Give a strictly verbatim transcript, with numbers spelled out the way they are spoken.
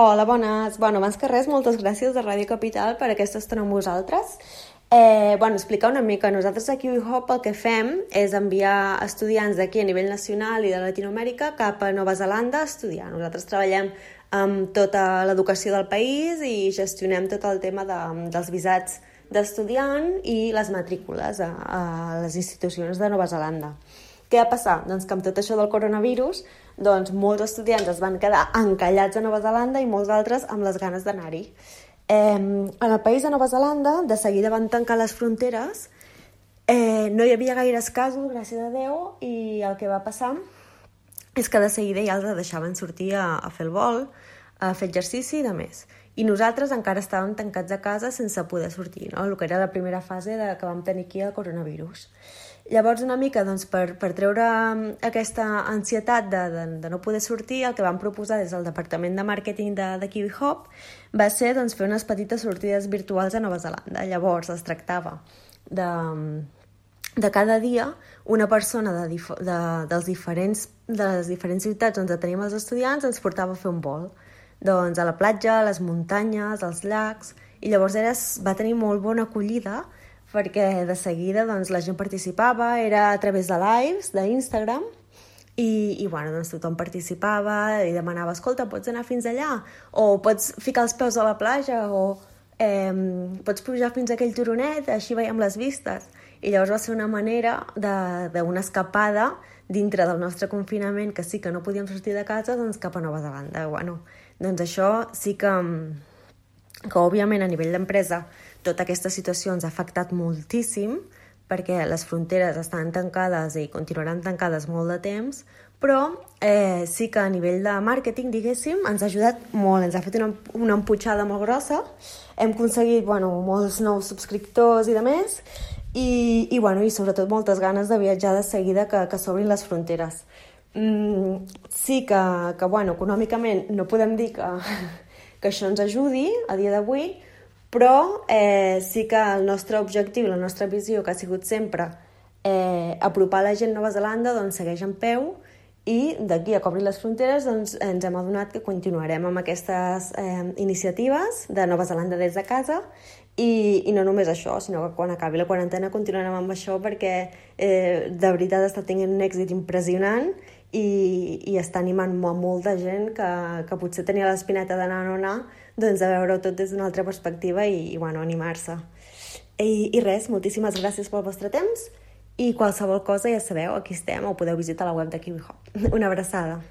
Hola, bones. Bueno, abans que res, moltes gràcies a Ràdio Capital per aquesta estona amb vosaltres. Eh, bueno, explicar una mica. Nosaltres a KiwiHop el que fem és enviar estudiants d'aquí a nivell nacional i de Latinoamèrica cap a Nova Zelanda a estudiar. Nosaltres treballem amb tota l'educació del país i gestionem tot el tema de, dels visats d'estudiant i les matrícules a, a les institucions de Nova Zelanda. Què va passar? Doncs que amb tot això del coronavirus, doncs molts estudiants es van quedar encallats a Nova Zelanda i molts altres amb les ganes d'anar-hi. Eh, en el país de Nova Zelanda, de seguida van tancar les fronteres, eh, no hi havia gaires casos, gràcies a Déu, i el que va passar és que de seguida ja els deixaven sortir a, a fer el vol, a fer exercici i de més. I nosaltres encara estàvem tancats a casa sense poder sortir, no? El que era la primera fase de, que vam tenir aquí el coronavirus. Llavors, una mica doncs, per, per treure aquesta ansietat de, de, de no poder sortir, el que vam proposar des del departament de màrqueting de, de KiwiHop va ser doncs, fer unes petites sortides virtuals a Nova Zelanda. Llavors, es tractava de, de cada dia una persona de, dif de, dels diferents, de les diferents ciutats on tenim els estudiants ens portava a fer un vol. Doncs a la platja, a les muntanyes, als llacs, i llavors era, va tenir molt bona acollida perquè de seguida doncs, la gent participava, era a través de lives d'Instagram, i, i bueno, doncs, tothom participava i demanava, escolta, pots anar fins allà? O pots ficar els peus a la platja? O eh, pots pujar fins a aquell turonet? Així veiem les vistes. I llavors va ser una manera d'una escapada dintre del nostre confinament, que sí que no podíem sortir de casa, doncs cap a Nova Zelanda. Bueno, doncs això sí que, que òbviament, a nivell d'empresa, tota aquesta situació ens ha afectat moltíssim perquè les fronteres estan tancades i continuaran tancades molt de temps, però eh, sí que a nivell de màrqueting, diguéssim, ens ha ajudat molt, ens ha fet una, una emputxada molt grossa, hem aconseguit bueno, molts nous subscriptors i de més, i, i, bueno, i sobretot moltes ganes de viatjar de seguida que, que s'obrin les fronteres. Mm, sí que, que bueno, econòmicament no podem dir que, que això ens ajudi a dia d'avui, però eh, sí que el nostre objectiu, la nostra visió, que ha sigut sempre eh, apropar la gent a Nova Zelanda, doncs segueix en peu, i d'aquí a que obrin les fronteres doncs, ens hem adonat que continuarem amb aquestes eh, iniciatives de Nova Zelanda des de casa, i, i no només això, sinó que quan acabi la quarantena continuarem amb això perquè eh, de veritat està tenint un èxit impressionant i, i està animant a molta gent que, que potser tenia l'espineta d'anar o no anar, doncs a veure-ho tot des d'una altra perspectiva i, i bueno, animar-se. I, I res, moltíssimes gràcies pel vostre temps i qualsevol cosa ja sabeu, aquí estem, o podeu visitar la web de KiwiHop. Una abraçada.